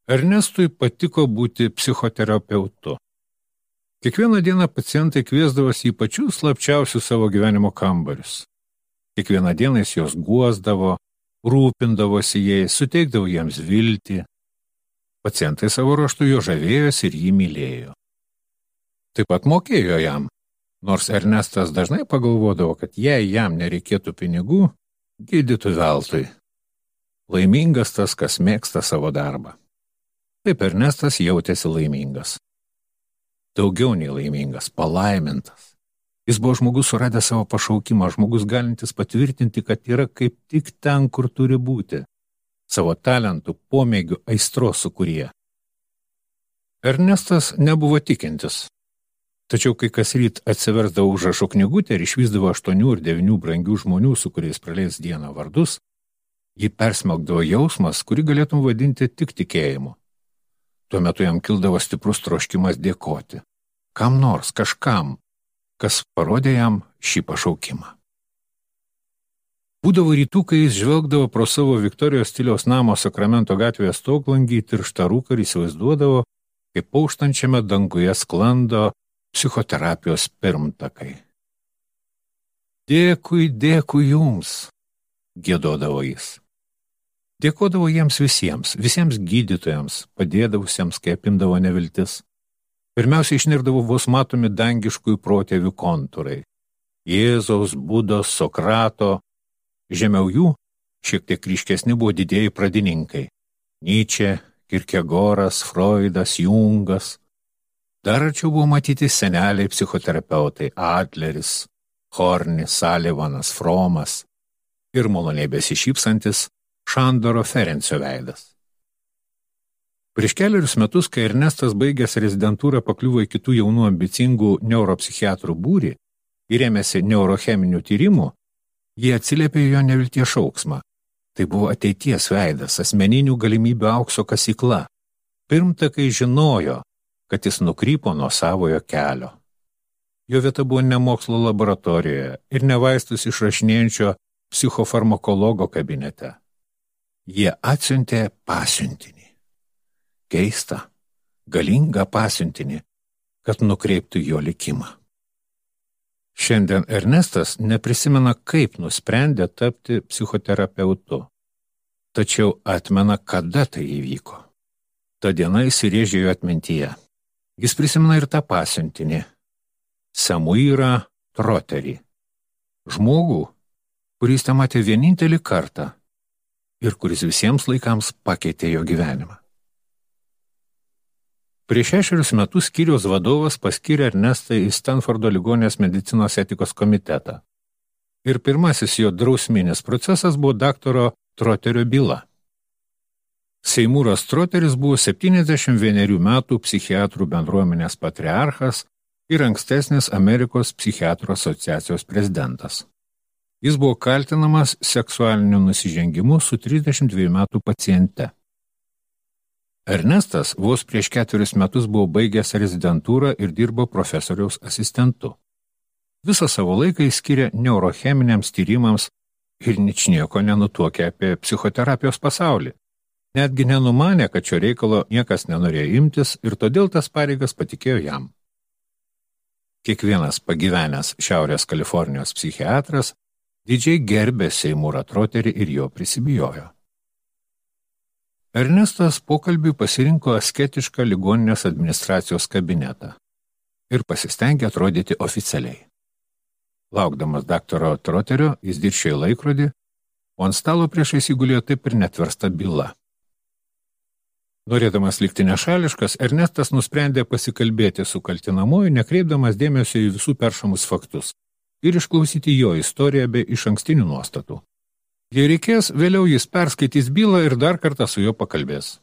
Ernestui patiko būti psichoterapeutu. Kiekvieną dieną pacientai kviesdavosi į pačius slapčiausius savo gyvenimo kambarius. Kiekvieną dieną jis juos guosdavo, rūpindavosi jais, suteikdavo jiems viltį. Pacientai savo ruožtu jo žavėjosi ir jį mylėjo. Taip pat mokėjo jam, nors Ernestas dažnai pagalvodavo, kad jei jam nereikėtų pinigų, gydytų veltui. Laimingas tas, kas mėgsta savo darbą. Taip Ernestas jautėsi laimingas. Daugiau nei laimingas, palaimintas. Jis buvo žmogus suradęs savo pašaukimą, žmogus galintis patvirtinti, kad yra kaip tik ten, kur turi būti. Savo talentų, pomėgių, aistros sukūrėja. Ernestas nebuvo tikintis. Tačiau kai kas ryt atsiversdavo užrašų knygutę ir išvysdavo 8 ir 9 brangių žmonių, su kuriais praleis dieną vardus, jį persmelkdavo jausmas, kurį galėtum vadinti tik tikėjimu. Tuo metu jam kildavo stiprus troškimas dėkoti. Kam nors, kažkam, kas parodė jam šį pašaukimą. Būdavo rytų, kai jis žvelgdavo pro savo Viktorijos stiliaus namo Sakramento gatvėje stoglangį tirštą rūką ir įsivaizduodavo, kaip auštančiame danguje sklando psichoterapijos pirmtakai. Dėkui, dėkui jums, giedodavo jis. Dėkodavo jiems visiems gydytojams, padėdavusiems, kai apimdavo neviltis. Pirmiausia, išnirdavo vos matomi dangiškųjų protėvių kontūrai. Jėzaus, Budos, Sokrato. Žemiau jų šiek tiek ryškesni buvo didieji pradininkai. Nyčė, Kierkegoras, Freudas, Jungas. Dar arčiau buvo matyti seneliai psichoterapeutai Adleris, Hornis, Salivanas, Fromas ir maloniai besišypsantis Šandoro Ferencio veidas. Prieš keliarius metus, kai Ernestas baigęs rezidentūrą pakliuvo į kitų jaunų ambicingų neuropsichiatrų būrį ir ėmėsi neurocheminių tyrimų, jie atsiliepė jo nevilties šauksmą. Tai buvo ateities veidas, asmeninių galimybių aukso kasykla. Pirmtakai žinojo, kad jis nukrypo nuo savojo kelio. Jo vieta buvo ne mokslo laboratorijoje ir ne vaistus išrašinėjančio psichofarmakologo kabinete. Jie atsiuntė pasiuntinį. Keistą, galingą pasiuntinį, kad nukreiptų jo likimą. Šiandien Ernestas neprisimena, kaip nusprendė tapti psichoterapeutu, tačiau atmena, kada tai įvyko. Ta diena įsirėžė jo atmintyje. Jis prisimena ir tą pasiuntinį, Samuirą Troterį, žmogų, kuris tą matė vienintelį kartą ir kuris visiems laikams pakeitė jo gyvenimą. Prieš 6 metus skyriaus vadovas paskyrė Ernestą į Stanfordo ligoninės medicinos etikos komitetą. Ir pirmasis jo drausminis procesas buvo daktaro Troterio byla. Seimūras Troteris buvo 71 metų psichiatrų bendruomenės patriarchas ir ankstesnis Amerikos psichiatrų asociacijos prezidentas. Jis buvo kaltinamas seksualiniu nusižengimu su 32 metų paciente. Ernestas vos prieš 4 metus buvo baigęs rezidentūrą ir dirbo profesoriaus asistentu. Visą savo laiką jis skyrė neurocheminiams tyrimams ir ničnieko nenutuokė apie psichoterapijos pasaulį. Netgi nenumanė, kad šio reikalo niekas nenorėjo imtis ir todėl tas pareigas patikėjo jam. Kiekvienas pagyvenęs Šiaurės Kalifornijos psichiatras didžiai gerbė Seimūrą Troterį ir jo prisibijojo. Ernestas pokalbiui pasirinko asketišką ligoninės administracijos kabinetą ir pasistengė atrodyti oficialiai. Laukdamas daktaro Troterio, jis diršėjo laikrodį, o ant stalo priešais įgulėjo taip ir netversta byla. Norėdamas likti nešališkas, Ernestas nusprendė pasikalbėti su kaltinamuoju, nekreipdamas dėmesio į visų peršamus faktus ir išklausyti jo istoriją be išankstinių nuostatų. Jei reikės, vėliau jis perskaitys bylą ir dar kartą su juo pakalbės.